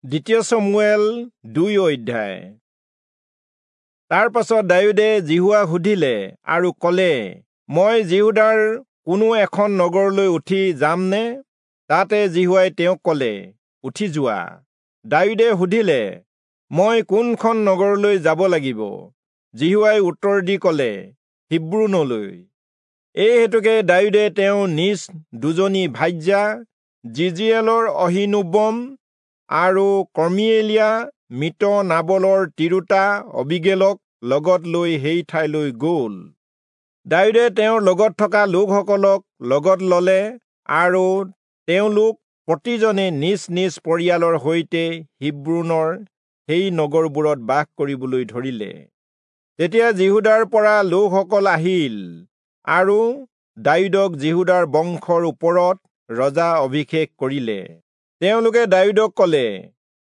দ্বিতীয় চমূৱেল 2 অধ্যায়। তাৰ পাছত দায়ূদে যিহোৱাক সুধিলে আৰু ক'লে, মই যিহূদাৰ কোনো এখন নগৰলৈ উঠি যামনে? তাতে যিহোৱাই তেওঁক ক'লে, উঠি যোৱা। দায়ূদে সুধিলে, মই কোনখন নগৰলৈ যাব লাগিব? যিহোৱাই উত্তৰ দি ক'লে, হিব্ৰোনলৈ। এই হেতুকে দায়ূদে তেওঁ নিজ দুজনী ভাৰ্যা যিজিয়েলৰ অহীনোৱম আৰু কৰ্মিয়েলীয়া মৃত নাবলৰ তিৰোতা অবীগেলক লগত লৈ সেই ঠাইলৈ গ'ল। দায়ূদে তেওঁৰ লগত থকা লোকসকলক লগত ললে আৰু তেওঁলোক প্ৰতিজনে নিজ নিজ পৰিয়ালৰ সৈতে হিব্ৰোনৰ সেই নগৰবোৰত বাস কৰিবলৈ ধৰিলে। তেতিয়া যিহূদাৰ পৰা লোকসকল আহিল আৰু দায়ূদক যিহূদাৰ বংশৰ ওপৰত ৰজা অভিষেক কৰিলে। তেওঁলোকে দায়ূদক ক'লে,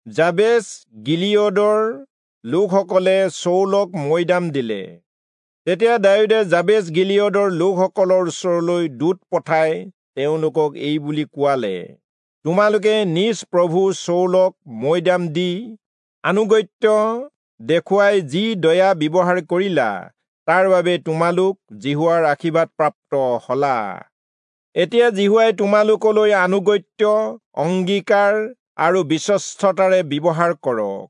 যাবেচ গিলিয়দৰ লোকসকলে চৌলক মৈদাম দিলে। তেতিয়া দায়ূদে যাবেচ গিলিয়দৰ লোকসকলৰ ওচৰলৈ দূত পঠাই তেওঁলোকক এই বুলি কোৱালে, তোমালোকে নিজ প্ৰভু চৌলক মৈদাম দি আনুগত্য দেখুৱাই যি দয়া ব্যৱহাৰ কৰিলা, তাৰ বাবে তোমালোক যিহোৱাৰ আশীৰ্বাদ প্ৰাপ্ত হলা। এতিয়া যিহোৱাই তোমালোকলৈ আনুগত্য, অংগীকাৰ আৰু বিশ্বস্ততাৰে ব্যৱহাৰ কৰক,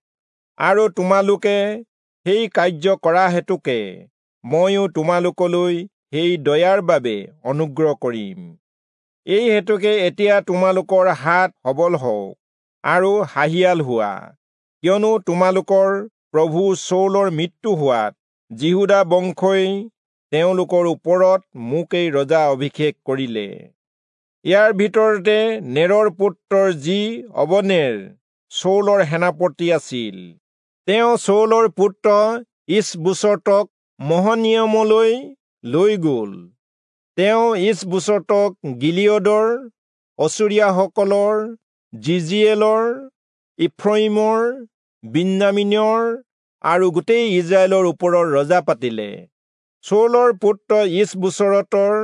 আৰু তোমালোকে সেই কাৰ্য কৰা হেতুকে ময়ো তোমালোকলৈ সেই দয়াৰ বাবে অনুগ্ৰহ কৰিম। এই হেতুকে এতিয়া তোমালোকৰ হাত সবল হওক আৰু সাহিয়াল হোৱা, কিয়নো তোমালোকৰ প্ৰভু চৌলৰ মৃত্যু হোৱাত যিহূদা বংশই তেওঁলোকৰ ওপৰত মোকেই ৰজা অভিষেক কৰিলে। ইয়াৰ ভিতৰতে নেৰৰ পুত্ৰৰ যি অবনেৰ চৌলৰ সেনাপতি আছিল, তেওঁ চৌলৰ পুত্ৰ ঈচবোচতক মহনিয়মলৈ লৈ গ'ল। তেওঁ ঈচবোচতক গিলিয়দৰ, অচুৰীয়াসকলৰ, যিজিয়েলৰ, ইফ্ৰয়িমৰ, বিন্যামীনৰ আৰু গোটেই ইজৰাইলৰ ওপৰৰ ৰজা পাতিলে। চৌলৰ পুত্ৰ ঈচবোচতৰ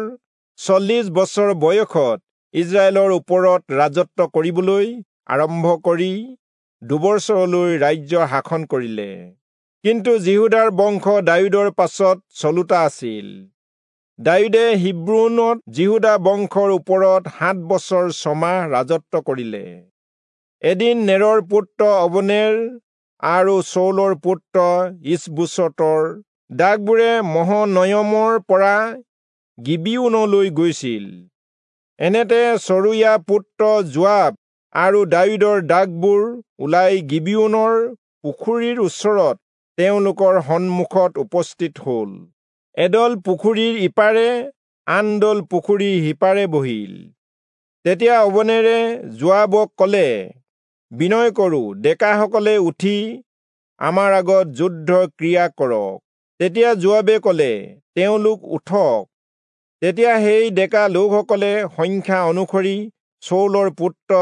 40 বছৰ বয়সত ইজৰাইলৰ ওপৰত ৰাজত্ব কৰিবলৈ আৰম্ভ কৰি 2 বছৰলৈ ৰাজ্য শাসন কৰিলে। কিন্তু যিহূদাৰ বংশ দায়ূদৰ পাছত চলোতা আছিল। দায়ূদে হিব্ৰোনত যিহূদা বংশৰ ওপৰত 7 বছৰ 6 মাহ ৰাজত্ব কৰিলে। এদিন নেৰৰ পুত্ৰ অবনেৰ আৰু চৌলৰ পুত্ৰ ঈচবোচতৰ দাসবোৰে মহনয়মৰ পৰা গিবিয়োনলৈ গৈছিল। এনেতে চৰুয়া পুত্ৰ যোৱাব আৰু দায়ূদৰ দাসবোৰ ওলাই গিবিয়োনৰ পুখুৰীৰ ওচৰত তেওঁলোকৰ সন্মুখত উপস্থিত হ'ল। এদল পুখুৰীৰ ইপাৰে, আন দল পুখুৰীৰ সিপাৰে বহিল। তেতিয়া অবনেৰে যোৱাবক ক'লে, বিনয় কৰোঁ, ডেকাসকলে উঠি আমাৰ আগত যুদ্ধ ক্ৰিয়া কৰক। তেতিয়া যোৱাবে ক'লে, তেওঁলোক উঠক। তেতিয়া সেই ডেকা লোকসকলে সংখ্যা অনুসৰি চৌলৰ পুত্ৰ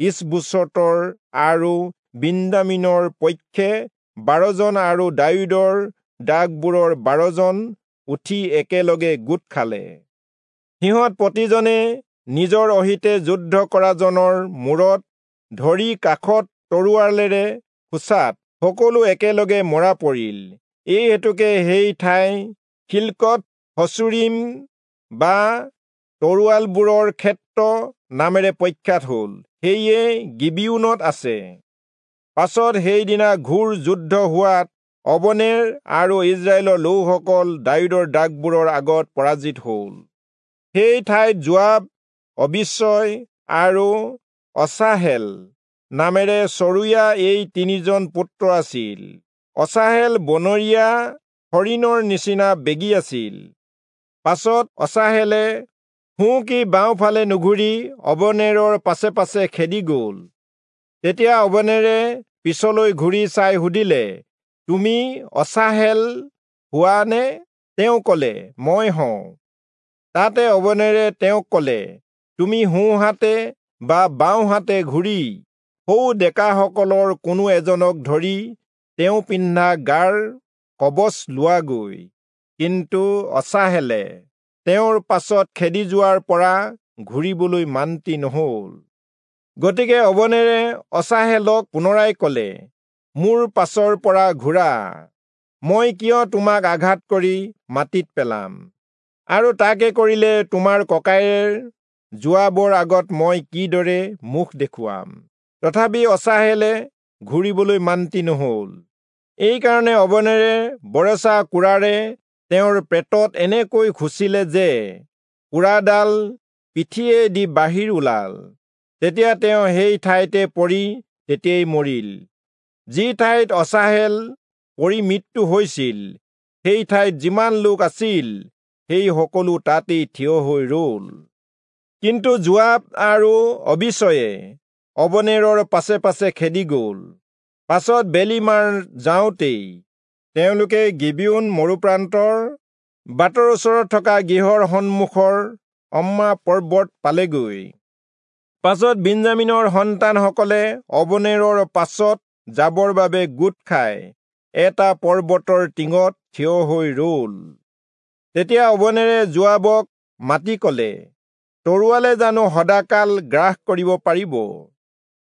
ঈচবোচতৰ আৰু বিন্যামীনৰ পক্ষে 12 জন আৰু দায়ূদৰ দাসবোৰৰ 12 জন উঠি একেলগে গোট খালে। সিহঁত প্ৰতিজনে নিজৰ অহিতে যুদ্ধ কৰাজনৰ মূৰত ধৰি কাষত তৰোৱালেৰে খোচাত সকলো একেলগে মৰা পৰিল। এই হেতুকে সেই ঠাই হিল্কত হচুৰীম বা তৰোৱালবোৰৰ ক্ষেত্ৰ নামেৰে প্ৰখ্যাত হ'ল, সেয়ে গিবিয়োনত আছে। পাছত সেইদিনা ঘোৰ যুদ্ধ হোৱাত অবনেৰ আৰু ইজৰাইলৰ লোকসকল দায়ূদৰ দাসবোৰৰ আগত পৰাজিত হ'ল। সেই ঠাইত যোৱাব, অবিচয় আৰু অচাহেল নামেৰে চৰুয়া এই 3 জন পুত্ৰ আছিল। অচাহেল বনৰীয়া হৰিণৰ নিচিনা বেগী আছিল। পাছত অচাহেলে সোঁ কি বাওঁফালে নুঘূৰি অবনেৰৰ পাছে পাছে খেদি গ'ল। তেতিয়া অবনেৰে পিছলৈ ঘূৰি চাই সুধিলে, তুমি অচাহেল হোৱা নে? তেওঁ ক'লে, মই হওঁ। তাতে অবনেৰে তেওঁক ক'লে, তুমি সোঁহাতে বা বাওঁহাতে ঘূৰি সৌ ডেকাসকলৰ কোনো এজনক ধৰি তেওঁ পিন্ধা গাৰ কবচ লোৱাগৈ। কিন্তু অচাহেলে তেওঁৰ পাছত খেদি যোৱাৰ পৰা ঘূৰিবলৈ মান্তি নহ'ল। গতিকে অবনেৰে অচাহেলক পুনৰাই কলে, মোৰ পাছৰ পৰা ঘূৰা, মই কিয় তোমাক আঘাত কৰি মাটিত পেলাম? আৰু তাকে কৰিলে তোমাৰ ককায়েৰ যোৱাবৰ আগত মই কিদৰে মুখ দেখুৱাম? তথাপি অচাহেলে ঘূৰিবলৈ মান্তি নহল। এইকাৰণে অবনেৰে বৰেচা কোৰাৰে তেওঁৰ পেটত এনেকৈ খুচিলে যে কোৰাডাল পিঠিয়েদি বাহিৰ ওলাল। তেতিয়া তেওঁ সেই ঠাইতে পৰি তেতিয়াই মৰিল। যি ঠাইত অচাহেল পৰি মৃত্যু হৈছিল, সেই ঠাইত যিমান লোক আছিল সেই সকলো তাতেই থিয় হৈ ৰল। কিন্তু যোৱাব আৰু অবিচয়ে অবনেৰৰ পাছে পাছে খেদি গল। পাছত বেলি মাৰ যাওঁতেই তেওঁলোকে গিবিয়োন মৰুপ্ৰান্তৰ বাটৰ ওচৰত থকা গৃহৰ সন্মুখৰ অম্মা পৰ্বত পালেগৈ। পাছত বিঞ্জামিনৰ সন্তানসকলে অবনেৰৰ পাছত যাবৰ বাবে গোট খাই এটা পৰ্বতৰ টিঙত থিয় হৈ ৰল। তেতিয়া অবনেৰে যোৱাবক মাতি কলে, তৰোৱালে জানো সদাকাল গ্ৰাস কৰিব পাৰিব?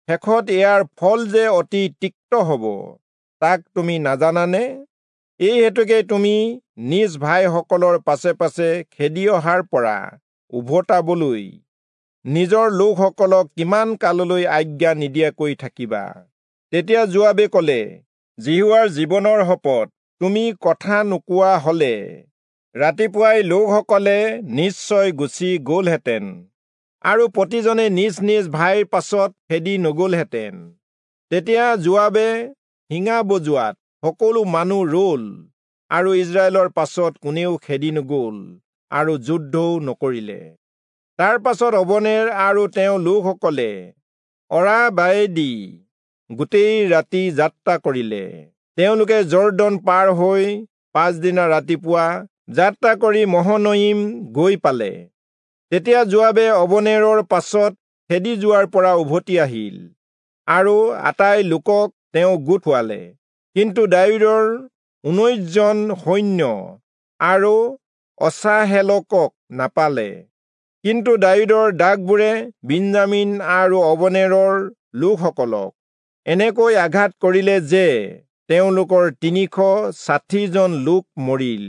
শেষত ইয়াৰ ফল যে অতি তিক্ত হব, তাক তুমি নাজানানে? এই হেতুকে তুমি নিজ ভাইসকলৰ পাছে পাছে খেদি অহাৰ পৰা উভতাবলৈ নিজৰ লোকসকলক কিমান কাললৈ আজ্ঞা নিদিয়াকৈ থাকিবা? তেতিয়া যোৱাবে কলে, যিহোৱাৰ জীৱনৰ শপত, তুমি কথা নোকোৱা হলে ৰাতিপুৱাই লোকসকলে নিশ্চয় গুচি গলহেঁতেন আৰু প্ৰতিজনে নিজ নিজ ভাইৰ পাছত খেদি নগলহেঁতেন। তেতিয়া যোৱাবে শিঙা বজোৱাত সকলো মানুহ ৰল আৰু ইজৰাইলৰ পাছত কোনেও খেদি নগল আৰু যুদ্ধও নকৰিলে। তাৰ পাছত অবনেৰ আৰু তেওঁ লোকসকলে অৰাবায়েদি গোটেই ৰাতি যাত্ৰা কৰিলে। তেওঁলোকে যৰ্দন পাৰ হৈ পাছদিনা ৰাতিপুৱা যাত্ৰা কৰি মহনয়িম গৈ পালে। তেতিয়া যোৱাবে অবনেৰৰ পাছত খেদি যোৱাৰ পৰা উভতি আহিল আৰু আটাই লোকক তেওঁ গোট খুৱালে। কিন্তু দায়ূদৰ 19 জন সৈন্য আৰু অচাহেলকক নাপালে। কিন্তু দায়ূদৰ দাগবোৰে বিঞ্জামিন আৰু অবনেৰৰ লোকসকলক এনেকৈ আঘাত কৰিলে যে তেওঁলোকৰ 360 জন লোক মৰিল।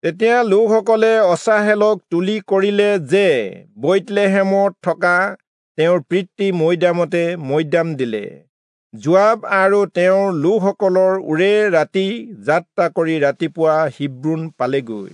তেতিয়া লোকসকলে অচাহেলক তুলি কৰিলে যে বৈৎলেহেমত থকা তেওঁৰ পিতৃ মৈদামতে মৈদাম দিলে। যোৱাব আৰু তেওঁৰ লোকসকলৰ ওৰে ৰাতি যাত্ৰা কৰি ৰাতিপুৱা হিব্ৰোণ পালেগৈ।